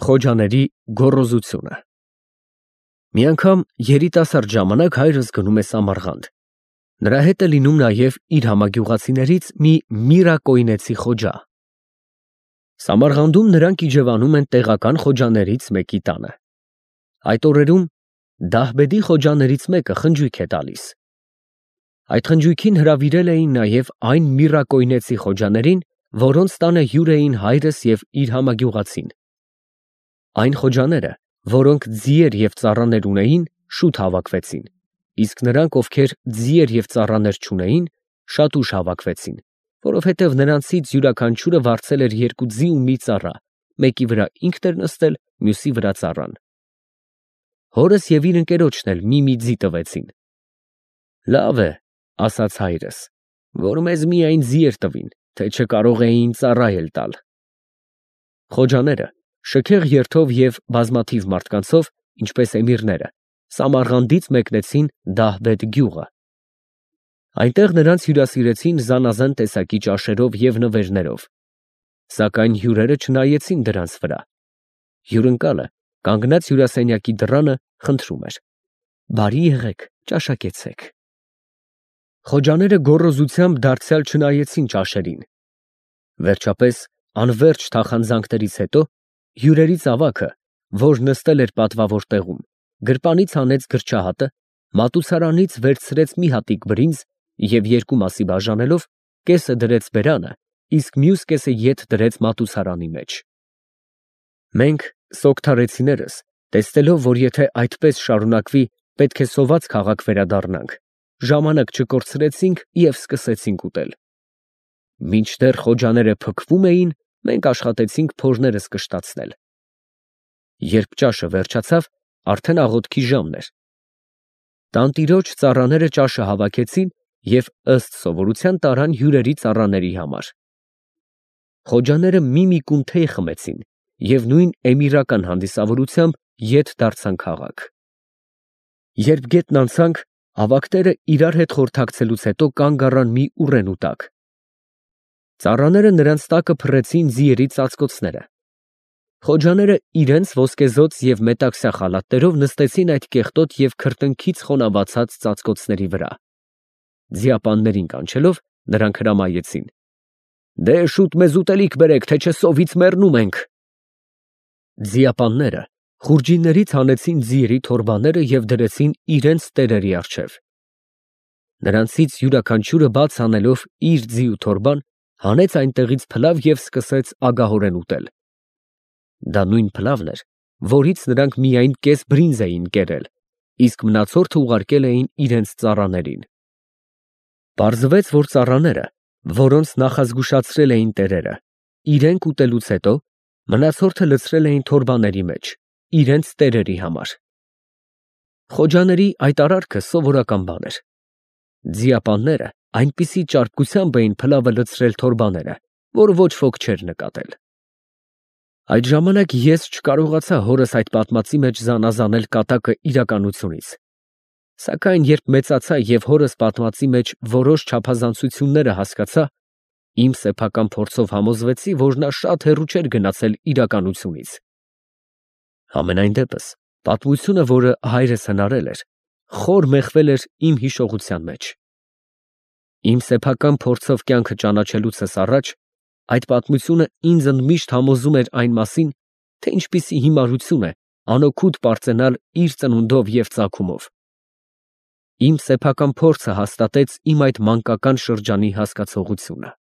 Խոջաների գոռոզությունը։ Մի անգամ երիտասարդ ժամանակ հայրս գնում է Սամարղանդ։ Նրա հետ է լինում նաև իր համագյուղացիներից մի միրակոյնեցի խոջա։ Սամարղանդում նրանք իջևանում են տեղական խոջաներից մեկի տանը։ Այդ օրերում Դահբեդի խոջաներից մեկը խնջույք է տալիս։ Այդ խնջույքին հրավիրել էին նաև այն միրակոյնեցի խոջաներին, որոնց տանը հյուր էին հայրս և իր համագյուղացին։ Այն խոջաները, որոնք ձիեր և ծառաներ ունեին, շուտ հավաքվեցին, իսկ նրանք, ովքեր ձիեր և ծառաներ չունեին, շատ ուշ հավաքվեցին, որովհետև նրանցից յուրաքանչյուրը վարձել էր 2 ձի ու մի ծառա, մեկի վրա ինքն էր նստել, մյուսի վրա ծառան։ Հորս և իր ընկերոջն էլ մի ձի տվեցին։ Լավ է, ասաց հայրս, որ մեզ միայն ձիեր տվին, թե չկարող էին ծառա էլ տալ։ Խոջաները շքեղ երթով և բազմաթիվ մարդկանցով, ինչպես էմիրները, Սամարղանդից մեկնեցին Դահբեդ գյուղը։ Այնտեղ նրանց հյուրասիրեցին զանազան տեսակի ճաշերով և նվերներով, սակայն հյուրերը չնայեցին դրանց վրա։ Հյուրընկալը, կանգնած հյուրասենյակի դռանը, խնդրում էր. «Բարի եղեք, ճաշակեցեք»։ Խոջաները գոռոզությամբ դարձյալ չնայեցին ճաշերին։ Վերջապես, անվերջ թախանձանքներից հետո, հյուրերից ավագը, որ նստել էր պատվավոր տեղում, գրպանից հանեց գրչահատը, մատուցարանից վերցրեց մի հատիկ բրինձ և 2 մասի բաժանելով, կեսը դրեց բերանը, իսկ մյուս կեսը ետ դրեց մատուցարանի մեջ։ Մենք, սոկթարեցիներս, տեսնելով, որ եթե այդպես շարունակվի, պետք է սոված քաղաք վերադառնանք, ժամանակ չկորցրեցինք և սկսեցինք ուտել։ Մինչդեռ խոջաները փքվում էին, մենք աշխատեցինք փորներս կշտացնել։ Երբ ճաշը վերջացավ, արդեն աղոթքի ժամն էր։ Տանտիրոջ ծառաները ճաշը հավաքեցին և ըստ սովորության տարան հյուրերի ծառաների համար։ Խոջաները մի կուն թեյ խմեցին և նույն էմիրական հանդիսավորությամբ ետ դարձան քաղաք։ Երբ գետն անցանք, ավագները իրար հետ խորհրդակցելուց հետո կանգ առան մի ուռենու տակ։ Ծառաները նրանց տակը փռեցին ձիերի ծածկոցները։ Խոջաները իրենց ոսկեզօծ և մետաքսյա խալաթներով նստեցին այդ կեղտոտ և քրտնքից խոնավացած ծածկոցների վրա։ Ձիապաններին կանչելով, նրանք հրամայեցին. «Դե շուտ մեզ ուտելիք բերեք, թե չէ սովից մեռնում ենք»։ Ձիապանները խուրջիններից հանեցին ձիերի թորբաները և դրեցին իրենց տերերի առջև։ Նրանցից յուրաքանչյուրը բաց անելով իր ձիու թորբան, հանեց այնտեղից փլավ և սկսեց ագահորեն ուտել։ Դա նույն փլավն էր, որից նրանք միայն կես բրինձ էին կերել, իսկ մնացորդը ուղարկել էին իրենց ծառաներին։ Պարզվեց, որ ծառաները, որոնց նախազգուշացրել էին տերերը, իրենք ուտելուց հետո մնացորդը լցրել էին թորբաների մեջ, իրենց տերերի համար։ Խոջաների այդ արարքը սովորական բան էր։ Ձիապանները այնպիսի ճարպկությամբ էին փլավը լցրել թորբաները, որ ոչ ոք չէր նկատել։ Այդ ժամանակ ես չկարողացա հորս այդ պատմածի մեջ զանազանել կատակը իրականությունից։ Սակայն երբ մեծացա և հորս պատմածի մեջ որոշ չափազանցությունները հասկացա, իմ սեփական փորձով համոզվեցի, որ նա շատ հեռու չէր գնացել իրականությունից։ Համենայն դեպս, պատմությունը, որը հայրս հնարել էր, խոր մեխվել էր իմ հիշողության մեջ։ Իմ սեփական փորձով կյանքը ճանաչելուցս առաջ այդ պատմությունը ինձ ընդմիշտ համոզում էր այն մասին, թե ինչպիսի հիմարություն է անօգուտ պարծենալ իր ծնունդով և ծագումով։ Իմ սեփական փորձը հաստատեց իմ այդ մանկական շրջանի հասկացողությունը։